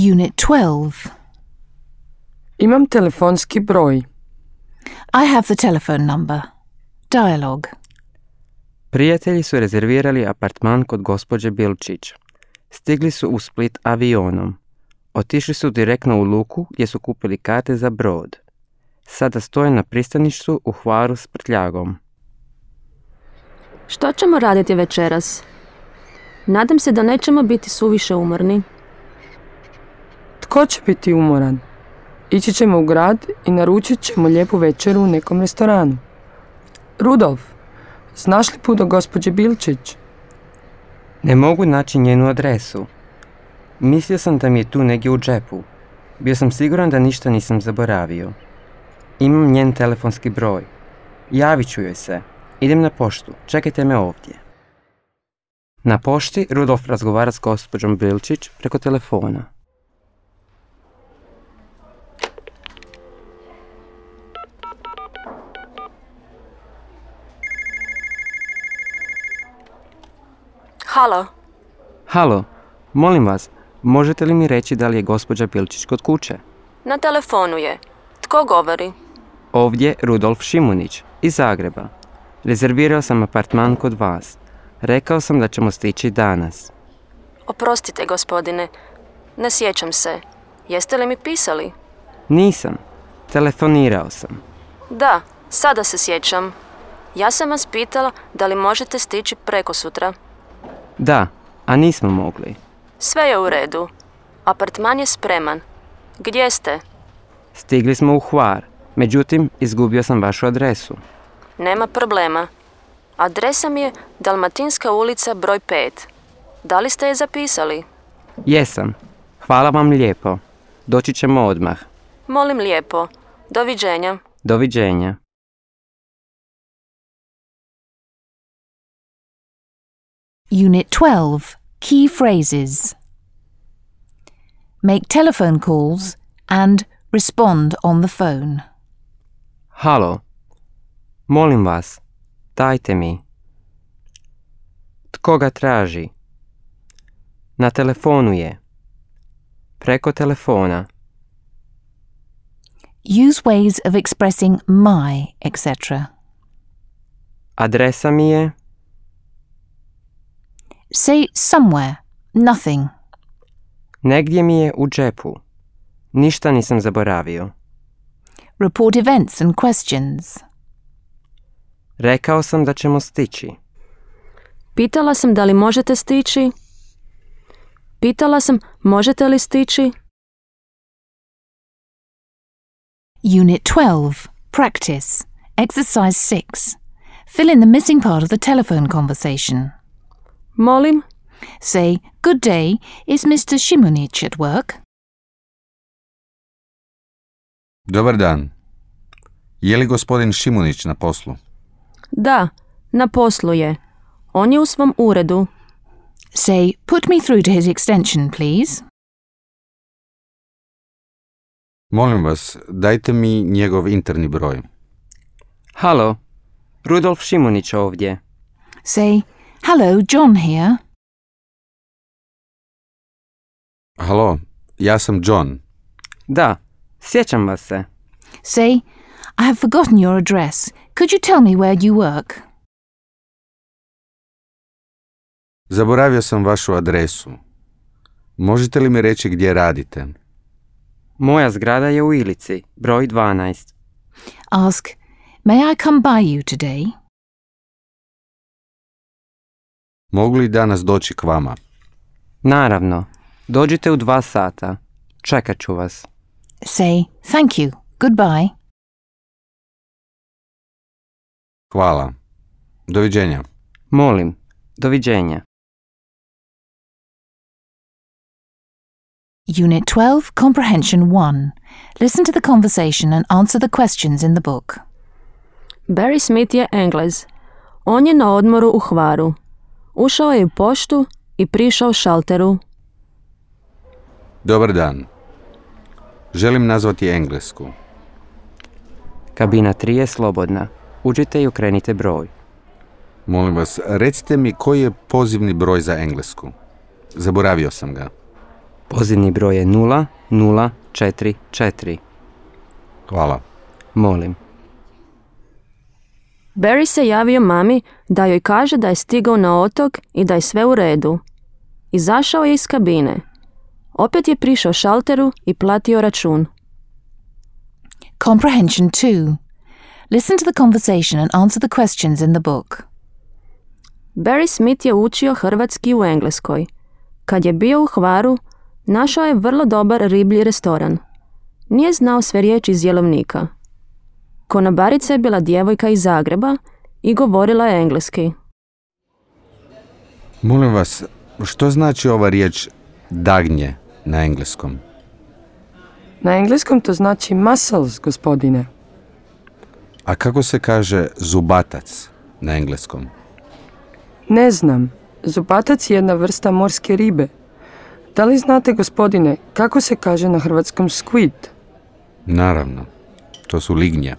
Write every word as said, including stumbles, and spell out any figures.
Unit twelve. Imam telefonski broj. I have the telephone number. Dialogue. Prijatelji su rezervirali apartman kod gospođe Bilčić. Stigli su u Split avionom. Otišli su direktno u luku gdje su kupili karte za brod. Sada stoje na pristaništu u Hvaru s prtljagom. Što ćemo raditi večeras? Nadam se da nećemo biti suviše umorni. Tko će biti umoran? Ići ćemo u grad i naručit ćemo lijepu večeru u nekom restoranu. Rudolf, znaš li put do gospođe Bilčić? Ne mogu naći njenu adresu. Mislio sam da mi je tu negdje u džepu. Bio sam siguran da ništa nisam zaboravio. Imam njen telefonski broj. Javit ću joj se. Idem na poštu. Čekajte me ovdje. Na pošti Rudolf razgovara s gospođom Bilčić preko telefona. Halo? Halo, molim vas, možete li mi reći da li je gospođa Bilčić kod kuće? Na telefonu je. Tko govori? Ovdje Rudolf Šimunić, iz Zagreba. Rezervirao sam apartman kod vas. Rekao sam da ćemo stići danas. Oprostite, gospodine. Ne sjećam se. Jeste li mi pisali? Nisam. Telefonirao sam. Da, sada se sjećam. Ja sam vas pitala da li možete stići prekosutra. Da, a nismo mogli. Sve je u redu. Apartman je spreman. Gdje ste? Stigli smo u Hvar, međutim, izgubio sam vašu adresu. Nema problema. Adresa mi je Dalmatinska ulica broj pet. Da li ste je zapisali? Jesam. Hvala vam lijepo. Doći ćemo odmah. Molim lijepo. Doviđenja. Doviđenja. Unit twelve. Key phrases. Make telephone calls and respond on the phone. Halo. Molim vas, dajte mi. Tko ga traži? Na telefonu je. Preko telefona. Use ways of expressing my, et cetera. Adresa mi je. Say somewhere, nothing. Negdje mi je u džepu. Ništa nisam zaboravio. Report events and questions. Rekao sam da ćemo stići. Pitala sam da li možete stići. Pitala sam možete li stići. Unit twelve. Practice. Exercise six. Fill in the missing part of the telephone conversation. Molim? Say, good day, is mister Šimunić at work? Dobar dan. Je li gospodin Šimunić na poslu? Da, na poslu je. On je u svom uredu. Say, put me through to his extension, please. Molim vas, dajte mi njegov interni broj. Halo, Rudolf Šimunić ovdje. Say, hello, John here. Halo, ja sam John. Da, sjećam vas se. Say, I have forgotten your address. Could you tell me where you work? Zaboravio sam vašu adresu. Možete li mi reći gdje radite? Moja zgrada je u Ilici, broj dvanaest. Ask, may I come by you today? Mogu li danas doći k vama? Naravno, dođite u dva sata. Čekat ću vas. Say, thank you, goodbye. Hvala. Doviđenja. Molim, doviđenja. Unit twelve, Comprehension one. Listen to the conversation and answer the questions in the book. Barry Smith je Englez. On je na odmoru u Hvaru. Ušao je u poštu i prišao šalteru. Dobar dan. Želim nazvati Englesku. Kabina tri je slobodna. Uđite i okrenite broj. Molim vas, recite mi koji je pozivni broj za Englesku. Zaboravio sam ga. Pozivni broj je nula nula četiri četiri. Hvala. Molim. Barry se javio mami da joj kaže da je stigao na otok i da je sve u redu. Izašao je iz kabine. Opet je prišao šalteru i platio račun. Comprehension two. Listen to the conversation and answer the questions in the book. Barry Smith je učio hrvatski u Engleskoj. Kad je bio u Hvaru, našao je vrlo dobar riblji restoran. Nije znao sve riječi iz jelovnika. Konobarica je bila djevojka iz Zagreba i govorila je engleski. Molim vas, što znači ova riječ dagnje na engleskom? Na engleskom to znači muscles, gospodine. A kako se kaže zubatac na engleskom? Ne znam. Zubatac je jedna vrsta morske ribe. Da li znate, gospodine, kako se kaže na hrvatskom squid? Naravno, to su lignje.